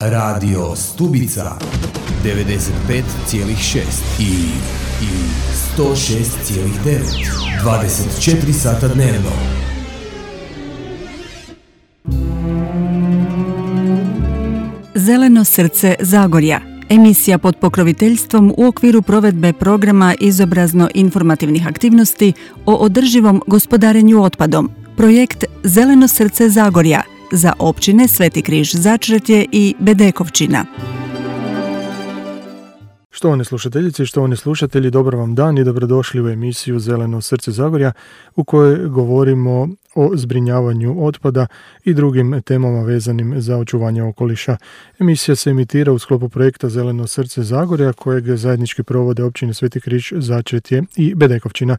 Radio Stubica 95,6 i 106,9 24 sata dnevno. Zeleno srce Zagorja. Emisija pod pokroviteljstvom u okviru provedbe programa izobrazno-informativnih aktivnosti o održivom gospodarenju otpadom. Projekt Zeleno srce Zagorja za općine Sveti Križ Začretje i Bedekovčina. Štovane slušateljice i štovani slušatelji, dobar vam dan i dobrodošli u emisiju Zeleno srce Zagorja u kojoj govorimo o zbrinjavanju otpada i drugim temama vezanim za očuvanje okoliša. Emisija se emitira u sklopu projekta Zeleno srce Zagorja kojeg zajednički provode općine Sveti Križ Začretje i Bedekovčina.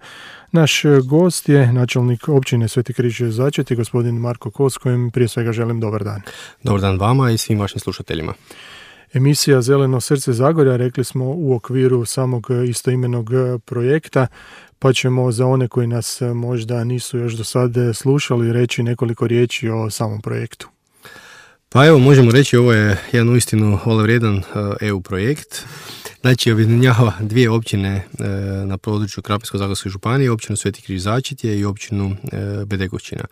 Naš gost je načelnik općine Sveti Križ Začretje, gospodin Marko Kos, kojem prije svega želim dobar dan. Dobar dan vama i svim vašim slušateljima. Emisija Zeleno srce Zagorja, rekli smo, u okviru samog istoimenog projekta, pa ćemo za one koji nas možda nisu još do sad slušali reći nekoliko riječi o samom projektu. Pa evo, možemo reći, ovo je jedan uistinu hvalevrijedan EU projekt. Znači, objedinjava dvije općine na području Krapinsko-zagorske županije, općinu Sveti Križ Začretje i općinu Bedekovčina.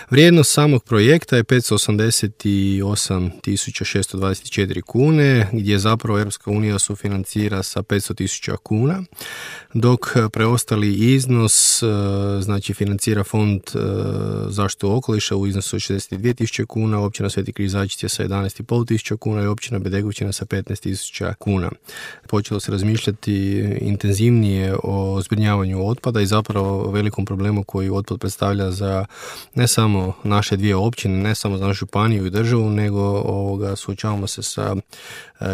Vrijednost samog projekta je 588.624 kune, gdje zapravo Europska unija sufinancira sa 500.000 kuna, dok preostali iznos znači financira Fond zaštitu okoliša u iznosu od 62.000 kuna, općina Sveti Križ Začretje sa 11.500 kuna i općina Bedekovčina sa 15.000 kuna. Počelo se razmišljati intenzivnije o zbrinjavanju otpada i zapravo velikom problemu koji otpad predstavlja za ne samo naše dvije općine, ne samo za našu županiju i državu, nego suočavamo se sa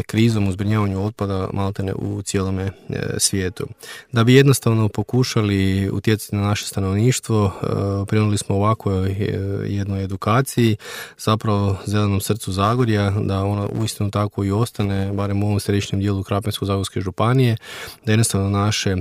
krizom u zbrinjavanju otpada maltene u cijelome svijetu. Da bi jednostavno pokušali utjecati na naše stanovništvo, prionuli smo ovakvoj jednoj edukaciji, zapravo Zelenom srcu Zagorja, da ona uistinu tako i ostane, barem u ovom središnjem dijelu Krapinsko-zagorske županije, da jednostavno naše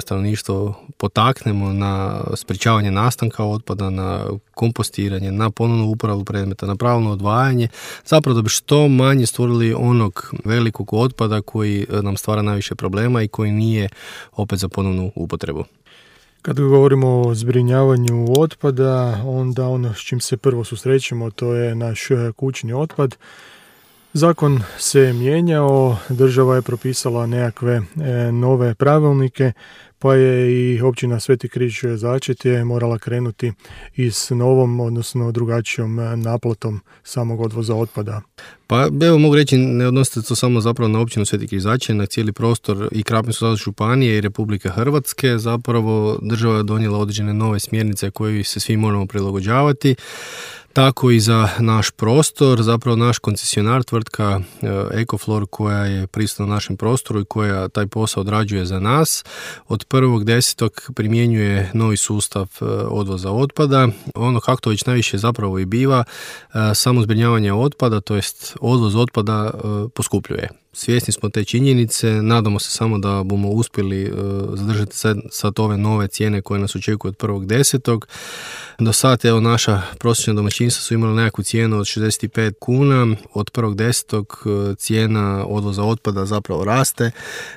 stanovništvo potaknemo na sprječavanje nastanka otpada, na kompostiranje, na ponovnu uporabu predmeta, na pravilno odvajanje, zapravo da bi što manje stvorili onog velikog otpada koji nam stvara najviše problema i koji nije opet za ponovnu upotrebu. Kad govorimo o zbrinjavanju otpada, onda ono s čim se prvo susrećemo, to je naš kućni otpad. Zakon se mijenjao, država je propisala nekakve nove pravilnike, pa je i općina Sveti Križ Začretje morala krenuti i s novom, odnosno drugačijom naplatom samog odvoza otpada. Pa evo mogu reći, ne odnosite to samo zapravo na općinu Sveti Križ Začretje, na cijeli prostor i Krapinsko-zagorske županije i Republike Hrvatske. Zapravo država je donijela određene nove smjernice koje se svi moramo prilagođavati. Tako i za naš prostor, zapravo naš koncesionar, tvrtka Ecoflor, koja je prisutna na našem prostoru i koja taj posao odrađuje za nas, od 1.10. primjenjuje novi sustav odvoza otpada. Ono kako to već najviše zapravo i biva, samo zbrinjavanje otpada, to jest odvoz otpada, poskupljuje. Svjesni smo te činjenice, nadamo se samo da bomo uspjeli zadržati sad ove nove cijene koje nas očekuju od 1.10. Do sad, evo, naša prosječna domaćinstva su imala nekakvu cijenu od 65 kuna, od 1.10. cijena odvoza otpada zapravo raste,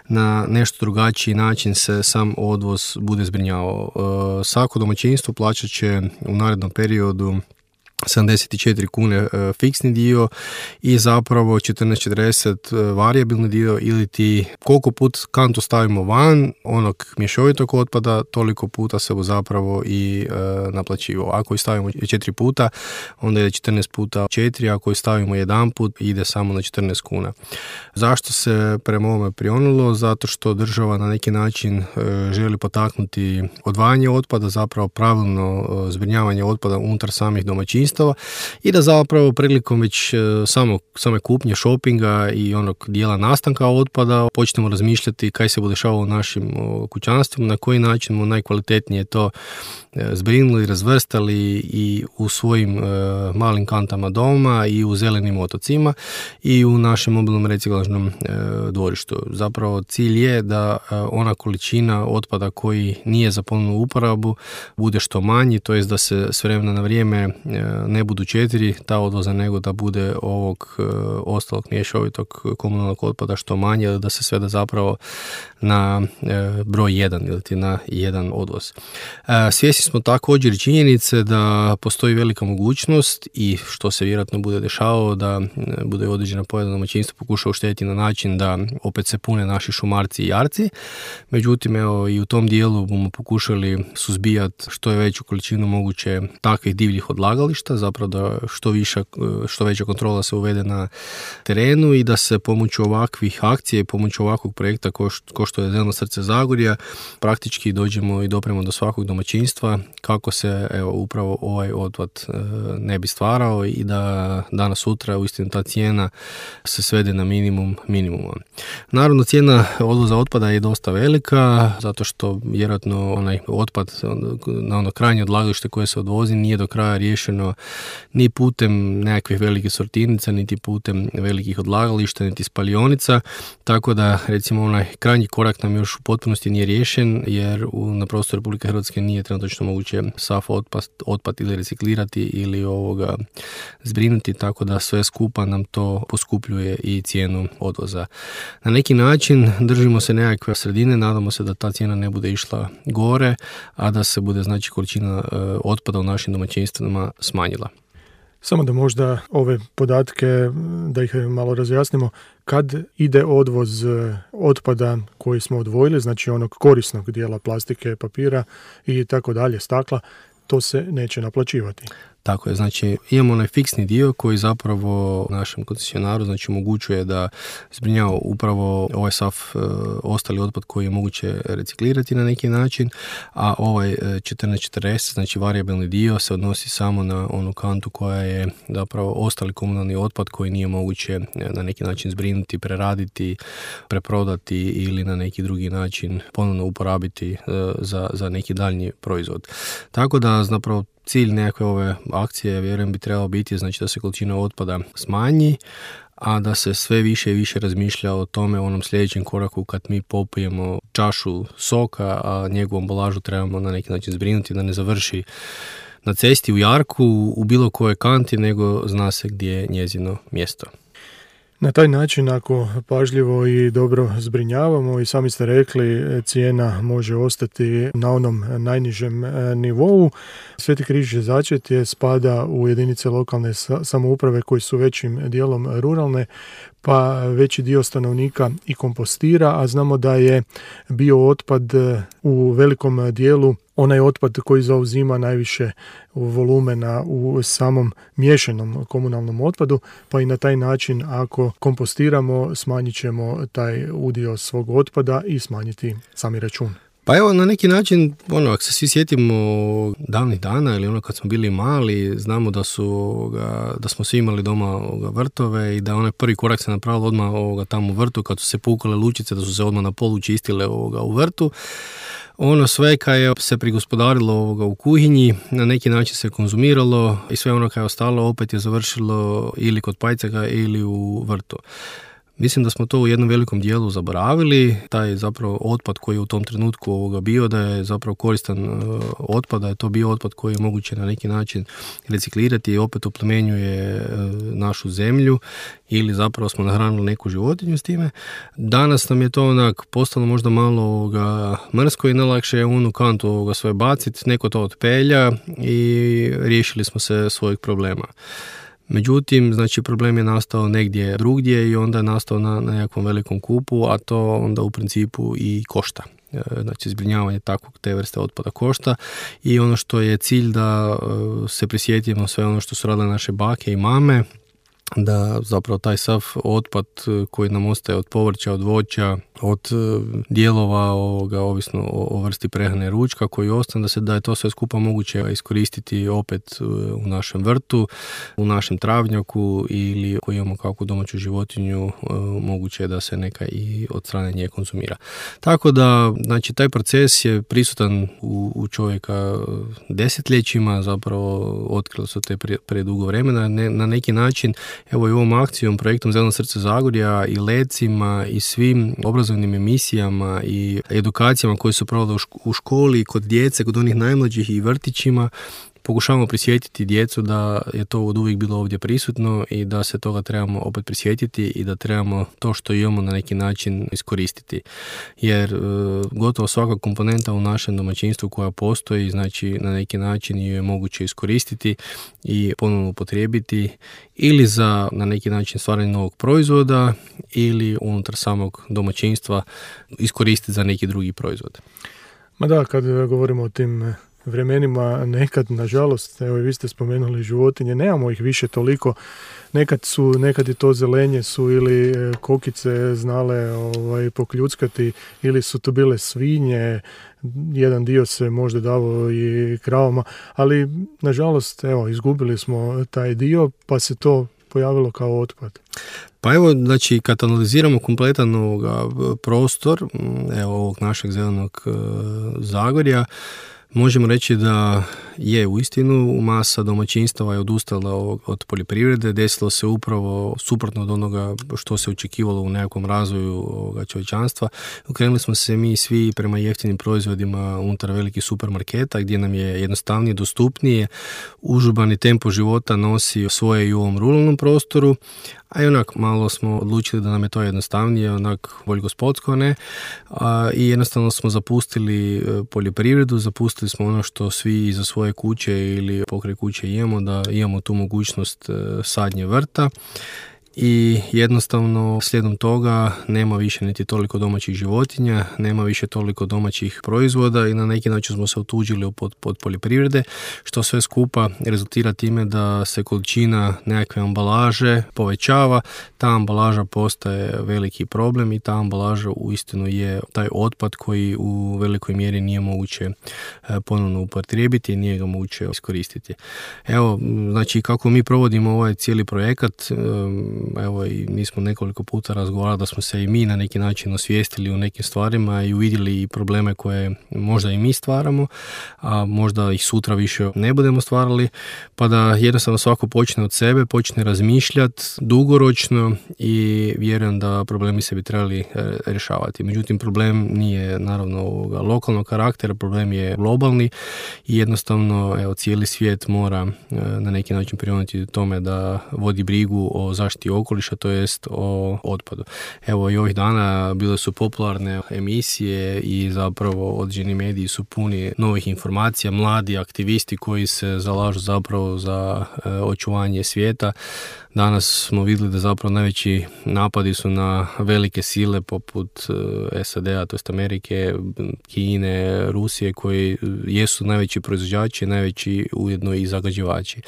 na nešto drugačiji način se sam odvoz bude zbrinjavao. Svako domaćinstvo plaćat će u narednom periodu 74 kune fiksni dio i zapravo 14,40 varijabilni dio, ili ti koliko put kantu stavimo van onog mješovitog otpada, toliko puta se zapravo i naplaćivo. Ako je stavimo 4 puta, onda ide 14 puta 4, ako je stavimo jedan put, ide samo na 14 kuna. Zašto se prema ovome prionulo? Zato što država na neki način želi potaknuti odvajanje otpada, zapravo pravilno zbrinjavanje otpada unutar samih domaćinstva i da zapravo prilikom već same kupnje, šopinga i onog dijela nastanka otpada počnemo razmišljati kaj se bude dešavalo u našim kućanstvima, na koji način mu najkvalitetnije to zbrinuli, razvrstali i u svojim malim kantama doma i u zelenim otocima i u našem mobilnom reciklažnom dvorištu. Zapravo cilj je da ona količina otpada koji nije za ponovnu uporabu bude što manji, to jest da se s vremena na vrijeme ne budu 4 ta odvoza, nego da bude ovog ostalog mješovitog komunalnog otpada što manje, da se svede zapravo na broj 1 ili na jedan odvoz. Svjesni smo također i činjenice da postoji velika mogućnost i što se vjerojatno bude dešavalo da bude određena pojedina domaćinstvo pokuša uštediti na način da opet se pune naši šumarci i jarci. Međutim, evo i u tom dijelu bomo pokušali suzbijati što je veću količinu moguće takvih divljih odlagališta, zapravo da što veća kontrola se uvede na terenu i da se pomoću ovakvih akcija i pomoću ovakvog projekta ko što je Zeleno srce Zagorja praktički dođemo i dopremo do svakog domaćinstva kako se upravo ovaj otpad ne bi stvarao i da danas sutra uistinu ta cijena se svede na minimuma. Naravno, cijena odvoza otpada je dosta velika zato što vjerojatno onaj otpad na ono krajnje odlagalište koje se odvozi nije do kraja riješeno ni putem nekakvih velikih sortirnica, niti putem velikih odlagališta, niti spalionica, tako da recimo onaj krajnji korak nam još u potpunosti nije riješen jer na prostoru Republike Hrvatske nije trenutno moguće sav otpad ili reciklirati ili zbrinuti, tako da sve skupa nam to poskupljuje i cijenu odvoza. Na neki način držimo se nekakve sredine, nadamo se da ta cijena ne bude išla gore, a da se bude znači količina otpada u našim domaćinstvima smanjila. Samo da možda ove podatke, da ih malo razjasnimo, kad ide odvoz otpada koji smo odvojili, znači onog korisnog dijela plastike, papira i tako dalje, stakla, to se neće naplaćivati. Tako je, znači imamo onaj fiksni dio koji zapravo našem koncesionaru znači omogućuje da zbrinjava upravo ovaj sav ostali otpad koji je moguće reciklirati na neki način, a ovaj 1440, znači varijabilni dio se odnosi samo na onu kantu koja je zapravo ostali komunalni otpad koji nije moguće na neki način zbrinuti, preraditi, preprodati ili na neki drugi način ponovno uporabiti za neki daljnji proizvod. Tako da zapravo cilj nekakve ove akcije, vjerujem, bi trebalo biti znači da se količina otpada smanji, a da se sve više i više razmišlja o tome, onom sljedećem koraku kad mi popijemo čašu soka, a njegovu ambalažu trebamo na neki način zbrinuti da ne završi na cesti, u jarku, u bilo kojoj kanti, nego zna se gdje je njezino mjesto. Na taj način, ako pažljivo i dobro zbrinjavamo, i sami ste rekli, cijena može ostati na onom najnižem nivou. Sveti Križ Začetje spada u jedinice lokalne samouprave koji su većim dijelom ruralne, pa veći dio stanovnika i kompostira, a znamo da je biootpad u velikom dijelu onaj otpad koji zauzima najviše volumena u samom miješanom komunalnom otpadu, pa i na taj način ako kompostiramo smanjit ćemo taj udio svog otpada i smanjiti sami račun. Pa evo, na neki način, ako se svi sjetimo davnih dana ili kad smo bili mali, znamo da smo svi imali doma vrtove i da onaj prvi korak se napravilo odmah tamo u vrtu, kad su se pukale lučice, da su se odmah na polu čistile u vrtu. Ono sve kad je se prigospodarilo u kuhinji, na neki način se konzumiralo i sve ono kad je ostalo opet je završilo ili kod pajcaka ili u vrtu. Mislim da smo to u jednom velikom dijelu zaboravili, taj zapravo otpad koji je u tom trenutku bio, da je zapravo koristan otpad, da je to bio otpad koji je moguće na neki način reciklirati i opet oplemenjuje našu zemlju ili zapravo smo nahranili neku životinju s time. Danas nam je to postalo možda malo mrsko i najlakše je onu kantu sve baciti, neko to otpelja i riješili smo se svojih problema. Međutim, znači problem je nastao negdje drugdje i onda je nastao na nekakvom velikom kupu, a to onda u principu i košta. Znači, zbrinjavanje te vrste otpada košta i ono što je cilj da se prisjetimo sve ono što su radile naše bake i mame, da zapravo taj sav otpad koji nam ostaje od povrća, od voća, od dijelova ovisno o vrsti prehrane ručka koji ostane, da je to sve skupa moguće iskoristiti opet u našem vrtu, u našem travnjaku ili ako imamo kakvu domaću životinju, moguće je da se neka i od strane nje konzumira. Tako da, znači, taj proces je prisutan u čovjeka desetljećima, zapravo otkrilo se te predugo vremena, na neki način. Evo i ovom akcijom, projektom Zeleno srce Zagorja i lecima i svim obrazovnim emisijama i edukacijama koje su provele u školi, kod djece, kod onih najmlađih i vrtićima, pokušavamo prisjetiti djecu da je to od uvijek bilo ovdje prisutno i da se toga trebamo opet prisjetiti i da trebamo to što imamo na neki način iskoristiti. Jer gotovo svaka komponenta u našem domaćinstvu koja postoji, znači na neki način ju je moguće iskoristiti i ponovno upotrijebiti ili za na neki način stvaranje novog proizvoda ili unutar samog domaćinstva iskoristiti za neki drugi proizvod. Ma da, kad govorimo o tim vremenima, nekad, nažalost, evo i vi ste spomenuli životinje, nemamo ih više toliko. Nekad je to zelenje su ili kokice znale pokljuckati, ili su to bile svinje, jedan dio se možda davao i kravama, ali nažalost, evo, izgubili smo taj dio, pa se to pojavilo kao otpad. Pa evo, znači, kad analiziramo kompletan prostor, evo, ovog našeg zelenog Zagorja, možemo reći da je uistinu masa domaćinstava je odustala od poljoprivrede, desilo se upravo suprotno od onoga što se očekivalo u nekakvom razvoju čovječanstva. Okrenuli smo se mi svi prema jeftinim proizvodima unutar velikih supermarketa gdje nam je jednostavnije, dostupnije, užurbani tempo života nosi svoje i u ovom ruralnom prostoru, a i onak malo smo odlučili da nam je to jednostavnije, onak bolj gospodsko, ne? I jednostavno smo zapustili poljoprivredu, zapustili smo ono što svi iza svoje kuće ili pokraj kuće imamo, da imamo tu mogućnost sadnje vrta. I jednostavno slijedom toga nema više niti toliko domaćih životinja, nema više toliko domaćih proizvoda i na neki način smo se otuđili pod poljoprivrede, što sve skupa rezultira time da se količina nekakve ambalaže povećava, ta ambalaža postaje veliki problem i ta ambalaža uistinu je taj otpad koji u velikoj mjeri nije moguće ponovno upotrijebiti i nije ga moguće iskoristiti. Evo, znači kako mi provodimo ovaj cijeli projekat, evo i mi smo nekoliko puta razgovarali da smo se i mi na neki način osvijestili u nekim stvarima i uvidjeli i probleme koje možda i mi stvaramo, a možda ih sutra više ne budemo stvarali, pa da jednostavno svako počne od sebe, počne razmišljati dugoročno i vjerujem da problemi se bi trebali rješavati. Međutim, problem nije naravno lokalnog karaktera, problem je globalni i jednostavno evo, cijeli svijet mora na neki način prionuti tome da vodi brigu o zaštiti okoliša, to jest o otpadu. Evo i ovih dana bile su popularne emisije i zapravo određeni mediji su puni novih informacija, mladi aktivisti koji se zalažu zapravo za očuvanje svijeta. Danas smo vidjeli da zapravo najveći napadi su na velike sile poput SAD-a, to jest Amerike, Kine, Rusije, koji jesu najveći proizvođači, najveći ujedno i zagađivači.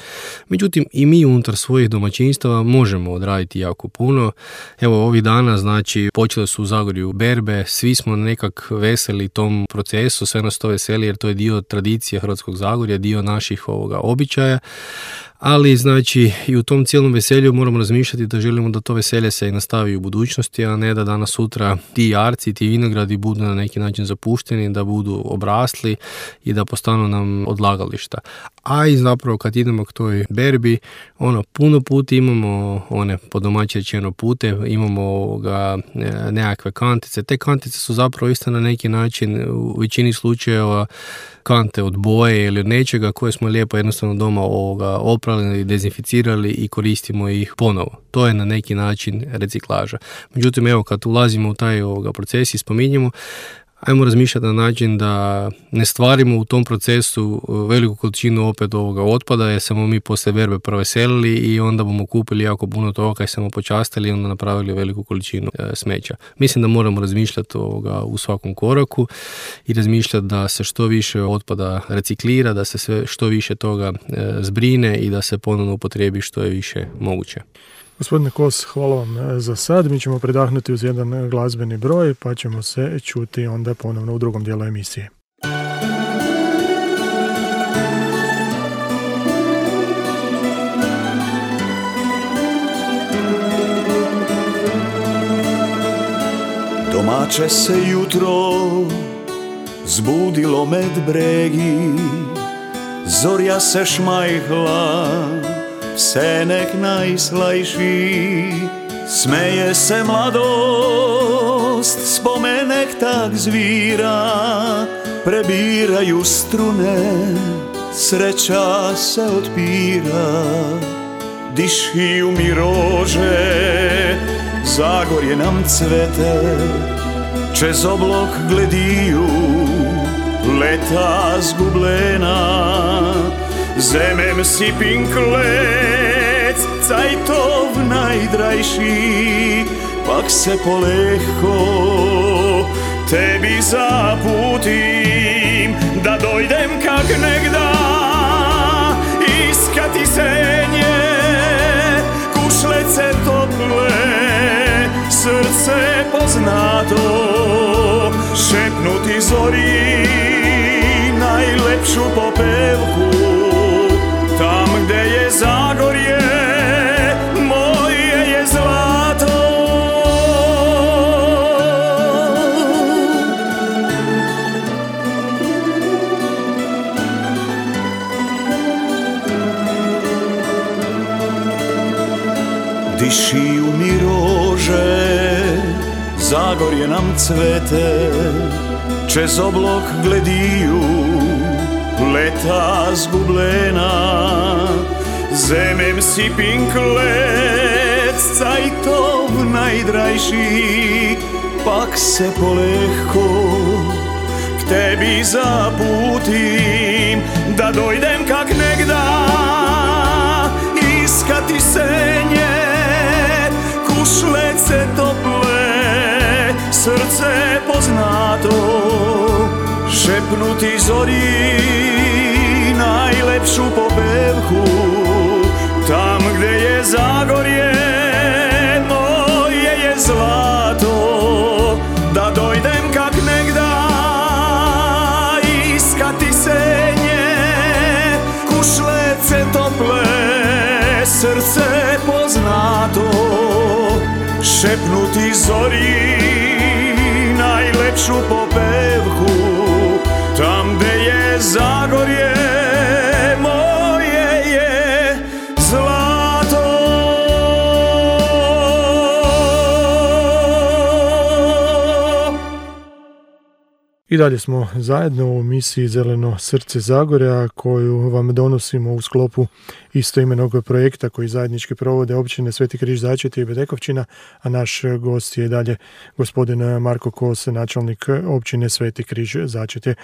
Međutim, i mi unutar svojih domaćinstava možemo odraditi jako puno. Evo, ovih dana, znači, počele su u Zagorju berbe, svi smo nekak veseli tom procesu, sve nas to veseli jer to je dio tradicije Hrvatskog Zagorja, dio naših običaja. Ali, znači, i u tom cijelom veselju moramo razmišljati da želimo da to veselje se i nastavi u budućnosti, a ne da danas sutra ti jarci, ti vinogradi budu na neki način zapušteni, da budu obrasli i da postanu nam odlagališta. A i zapravo kad idemo k toj berbi, puno puta imamo one po domaći rečeno pute, imamo nekakve kantice. Te kantice su zapravo isto na neki način u većini slučajeva kante od boje ili od nečega koje smo lijepo jednostavno doma oprali, dezinficirali i koristimo ih ponovo. To je na neki način reciklaža. Međutim, evo kad ulazimo u taj proces i spominjemo, ajmo razmišljati na način da ne stvarimo u tom procesu veliku količinu opet otpada jer smo mi poslije berbe proveselili i onda bomo kupili jako puno toga kaj smo počastili i onda napravili veliku količinu smeća. Mislim da moramo razmišljati u svakom koraku i razmišljati da se što više otpada reciklira, da se što više toga zbrine i da se ponovno upotrijebi što je više moguće. Gospodine Kos, hvala vam za sad. Mi ćemo predahnuti uz jedan glazbeni broj, pa ćemo se čuti onda ponovno u drugom dijelu emisije. Domaće se jutro zbudilo med bregi, zorja se šmajhla, senek najslajši, smeje se mladost, spomenek tak zvira, prebiraju strune, sreća se otpira, dišiju mi rože, Zagorje nam cvete, čez oblok glediju, leta zgubljena, zemem si pinklec, cajtov najdrajši, pak se polehko tebi zaputim, da dojdem kak negda, iskati senje, kušlece tople, srce poznato, šepnuti zori, najlepšu popevku, tam gde je Zagorje, moje je zlato. Dišiju mi rože, Zagorje nam cvete, čez oblok glediju, leta zgubljena, zemem si pinklec, cajtov najdrajši, pak se polehko k tebi zaputim, da dojdem kak negda, iskati senje, kušlece tople, srce poznato, šepnuti zori, najlepšu popevku, tam gde je Zagorje, moje je zlato, da dojdem kak negda, iskati senje, kušlece tople, srce poznato, šepnuti zori, najlepšu popevku, tam gde je Zagorje, moje je zlato. I dalje smo zajedno u emisiji Zeleno srce Zagorja, koju vam donosimo u sklopu istoimenog projekta koji zajednički provode općine Sveti Križ Začeti i Bedekovčina, a naš gost je dalje gospodin Marko Kos, načelnik općine Sveti Križ Začeti.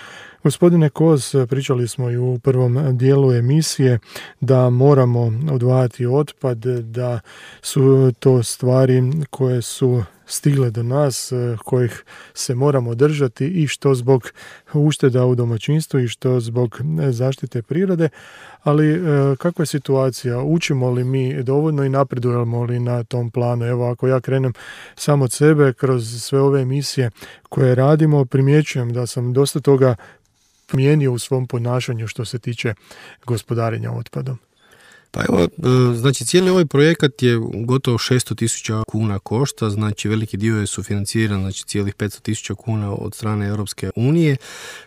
Gospodine Kos, pričali smo i u prvom dijelu emisije da moramo odvajati otpad, da su to stvari koje su stigle do nas, kojih se moramo držati i što zbog ušteda u domaćinstvu i što zbog zaštite prirode, ali kakva je situacija? Učimo li mi dovoljno i napredujemo li na tom planu? Evo, ako ja krenem sam od sebe, kroz sve ove emisije koje radimo, primjećujem da sam dosta toga promijenio u svom ponašanju što se tiče gospodarenja otpadom. Pa evo, znači cijeli ovaj projekat je gotovo 600.000 kuna košta, znači veliki dio je sufinanciran, znači cijelih 500.000 kuna od strane Europske unije,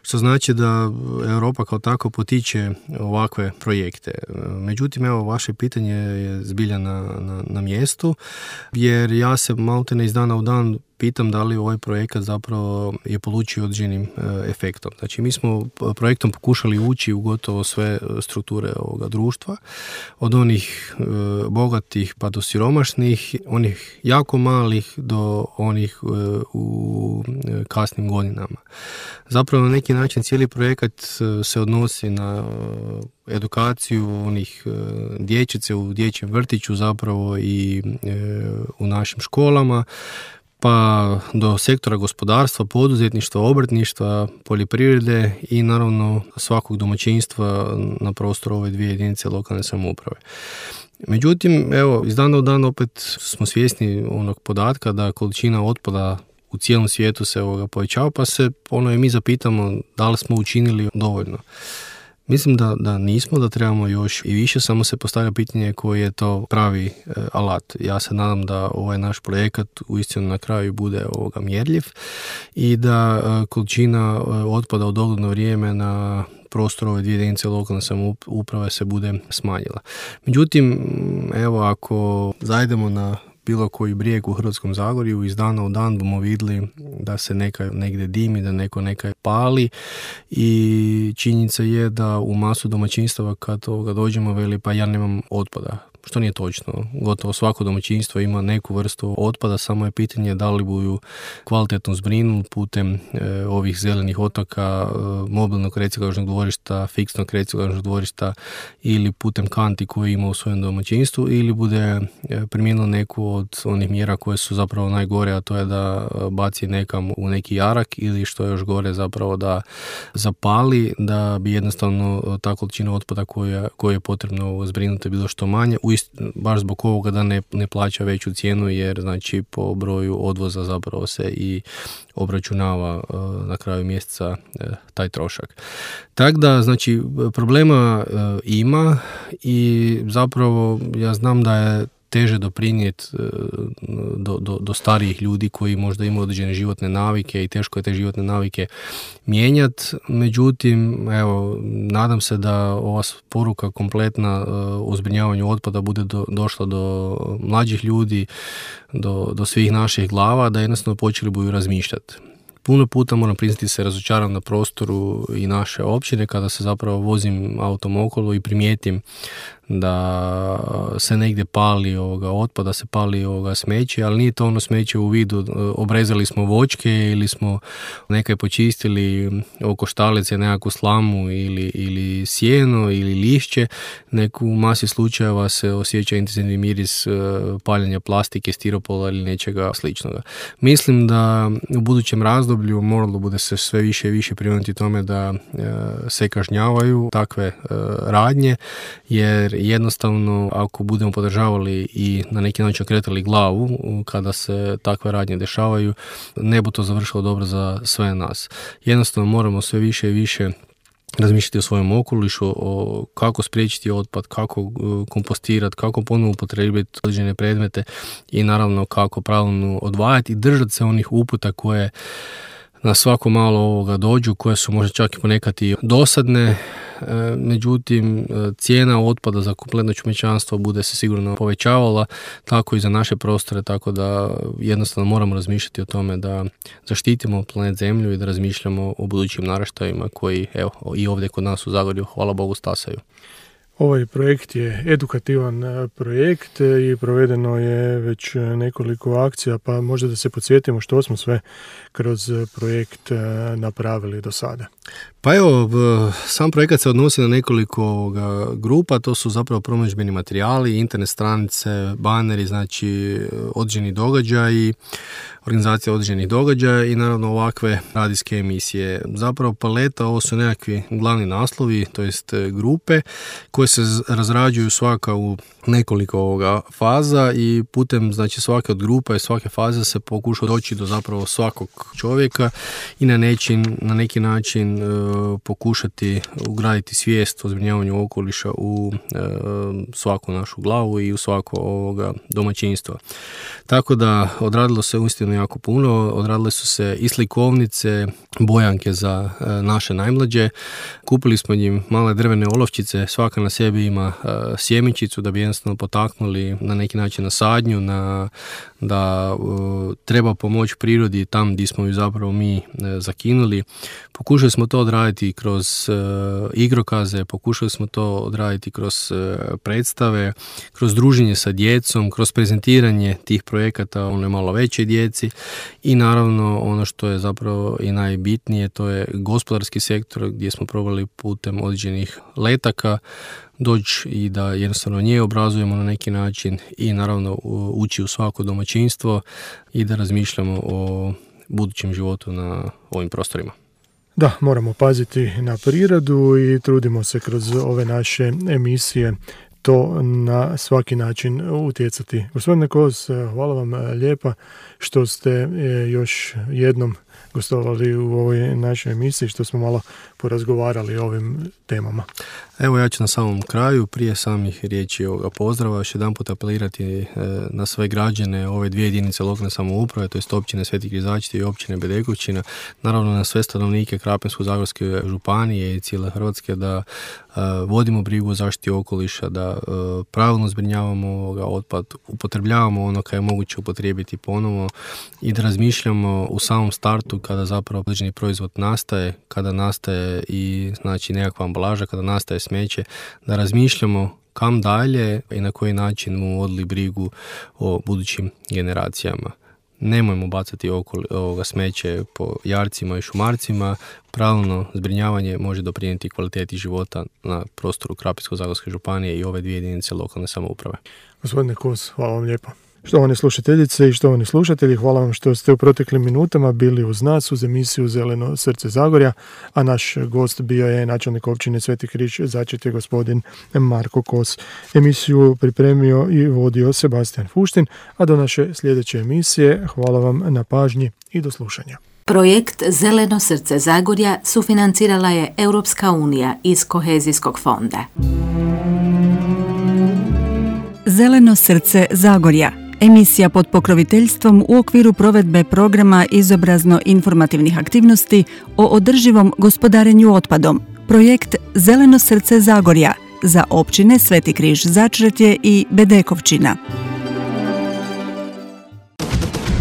što znači da Europa kao tako potiče ovakve projekte. Međutim, evo, vaše pitanje je zbilja na mjestu, jer ja se maltene iz dana u dan pitam da li ovaj projekat zapravo je polučio određenim efektom. Znači, mi smo projektom pokušali ući u gotovo sve strukture ovoga društva, od onih bogatih pa do siromašnih, onih jako malih do onih u kasnim godinama. Zapravo na neki način cijeli projekat se odnosi na edukaciju onih dječice u dječjem vrtiću zapravo i u našim školama, pa do sektora gospodarstva, poduzetništva, obrtništva, poljoprivrede i naravno svakog domaćinstva na prostoru ove dvije jedinice lokalne samouprave. Međutim, evo, iz dana u dan opet smo svjesni onog podatka da količina otpada u cijelom svijetu se povećava, pa se i mi zapitamo da li smo učinili dovoljno. Mislim da nismo, da trebamo još i više, samo se postavlja pitanje koji je to pravi alat. Ja se nadam da ovaj naš projekat uistinu na kraju bude mjerljiv i da količina otpada u dogledno vrijeme na prostoru ove dvije jedinice lokalne samouprave se bude smanjila. Međutim, evo, ako zajdemo na bilo koji brijeg u Hrvatskom Zagorju, iz dana u dan bomo vidjeli da se negdje dimi, da neko pali i činjenica je da u masu domaćinstava kad toga dođemo veli pa ja nemam otpada. Što nije točno. Gotovo svako domaćinstvo ima neku vrstu otpada, samo je pitanje da li budu kvalitetno zbrinuli putem ovih zelenih otoka, mobilnog reciklažnog dvorišta, fiksnog reciklažnog dvorišta ili putem kanti koje ima u svojem domaćinstvu ili bude primijenilo neku od onih mjera koje su zapravo najgore, a to je da baci nekam u neki jarak ili što je još gore zapravo da zapali, da bi jednostavno ta količina otpada koju je potrebno zbrinuti bilo što manje, baš zbog ovoga da ne plaća veću cijenu jer znači po broju odvoza zapravo se i obračunava na kraju mjeseca taj trošak. Tako da znači problema ima i zapravo ja znam da je teže doprinijeti do starijih ljudi koji možda imaju određene životne navike i teško je te životne navike mijenjati. Međutim, evo, nadam se da ova poruka kompletna o zbrinjavanju otpada bude došla do mlađih ljudi, do svih naših glava, da jednostavno počeli budu razmišljati. Puno puta moram priznati se razočaram na prostoru i naše općine kada se zapravo vozim autom okolo i primijetim da se negdje pali otpada, se pali smeće, ali nije to ono smeće u vidu obrezali smo voćke ili smo nekaj počistili oko štalice nekakvu slamu ili sjeno ili lišće, neku u masi slučajeva se osjeća intenzivni miris paljenja plastike, stiropola ili nečega sličnoga. Mislim da u budućem razdoblju moralo bude se sve više i više prionuti tome da se kažnjavaju takve radnje, jer jednostavno ako budemo podržavali i na neki način okretali glavu kada se takve radnje dešavaju, ne bi to završilo dobro za sve nas. Jednostavno moramo sve više i više razmišljati o svojem okolišu, o kako spriječiti otpad, kako kompostirati, kako ponovno upotrijebiti određene predmete i naravno kako pravilno odvajati i držati se onih uputa koje na svako malo dođu, koje su možda čak i ponekad i dosadne. Međutim, cijena otpada za kompletno čovječanstvo bude se sigurno povećavala, tako i za naše prostore, tako da jednostavno moramo razmišljati o tome da zaštitimo planet Zemlju i da razmišljamo o budućim naraštajima koji, evo, i ovdje kod nas u Zagorju, hvala Bogu, stasaju. Ovaj projekt je edukativan projekt i provedeno je već nekoliko akcija, pa možda da se podsjetimo što smo sve kroz projekt napravili do sada. Pa evo, sam projekat se odnosi na nekoliko grupa, to su zapravo promidžbeni materijali, internet stranice, baneri, znači određeni događaji, organizacija određenih događaja i naravno ovakve radijske emisije. Zapravo paleta, ovo su nekakvi glavni naslovi, to jest grupe koje se razrađuju svaka u nekoliko faza i putem znači svake od grupa i svake faze se pokuša doći do zapravo svakog čovjeka i na neki način pokušati ugraditi svijest o zbrinjavanju okoliša u svaku našu glavu i u svako domaćinstvo. Tako da odradilo se uistinu jako puno, odradile su se i slikovnice, bojanke za naše najmlađe, kupili smo njim male drvene olovčice, svaka na sebi ima sjemenčicu da bi jednostavno potaknuli na neki način na sadnju, da treba pomoći prirodi tam gdje smo ju zapravo mi zakinuli. Pokušali smo to odraditi kroz igrokaze, pokušali smo to odraditi kroz predstave, kroz druženje sa djecom, kroz prezentiranje tih projekata onoj malo većoj djeci i naravno ono što je zapravo i najbitnije, to je gospodarski sektor gdje smo probali putem određenih letaka doći i da jednostavno nje obrazujemo na neki način i naravno ući u svako domaćinstvo i da razmišljamo o budućem životu na ovim prostorima. Da, moramo paziti na prirodu i trudimo se kroz ove naše emisije to na svaki način utjecati. Gospodine Kos, hvala vam lijepa što ste još jednom gostovali u ovoj našoj emisiji, što smo malo porazgovarali o ovim temama. Evo, ja ću na samom kraju, prije samih riječi ovoga pozdrava, još jedan put apelirati na sve građane ove dvije jedinice lokalne samouprave, to jest općine Sveti Križački i općine Bedekovčina, naravno na sve stanovnike Krapinsko-zagorske županije i cijele Hrvatske, da vodimo brigu o zaštiti okoliša, da pravilno zbrinjavamo otpad, upotrebljavamo ono kad je moguće upotrijebiti ponovo i da razmišljamo u samom startu kada zapravo određeni proizvod nastaje, kada nastaje i znači nekakva ambalaža, kada nastaje smeće, da razmišljamo kam dalje i na koji način mu vodili brigu o budućim generacijama. Nemojmo bacati ovoga smeće po jarcima i šumarcima. Pravilno zbrinjavanje može doprinijeti kvaliteti života na prostoru Krapinsko-zagorske županije i ove dvije jedinice lokalne samouprave. Gospodine Kos, hvala vam lijepo. Štovane slušateljice i štovani slušatelji, hvala vam što ste u proteklim minutama bili uz nas uz emisiju Zeleno srce Zagorja, a naš gost bio je načelnik općine Sveti Križ Začretje gospodin Marko Kos. Emisiju pripremio i vodio Sebastian Fuštin, a do naše sljedeće emisije hvala vam na pažnji i do slušanja. Projekt Zeleno srce Zagorja sufinancirala je Europska unija iz Kohezijskog fonda. Zeleno srce Zagorja. Emisija pod pokroviteljstvom u okviru provedbe programa izobrazno-informativnih aktivnosti o održivom gospodarenju otpadom. Projekt Zeleno srce Zagorja za općine Sveti Križ Začretje i Bedekovčina.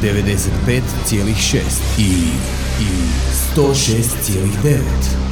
95,6 i 106,9.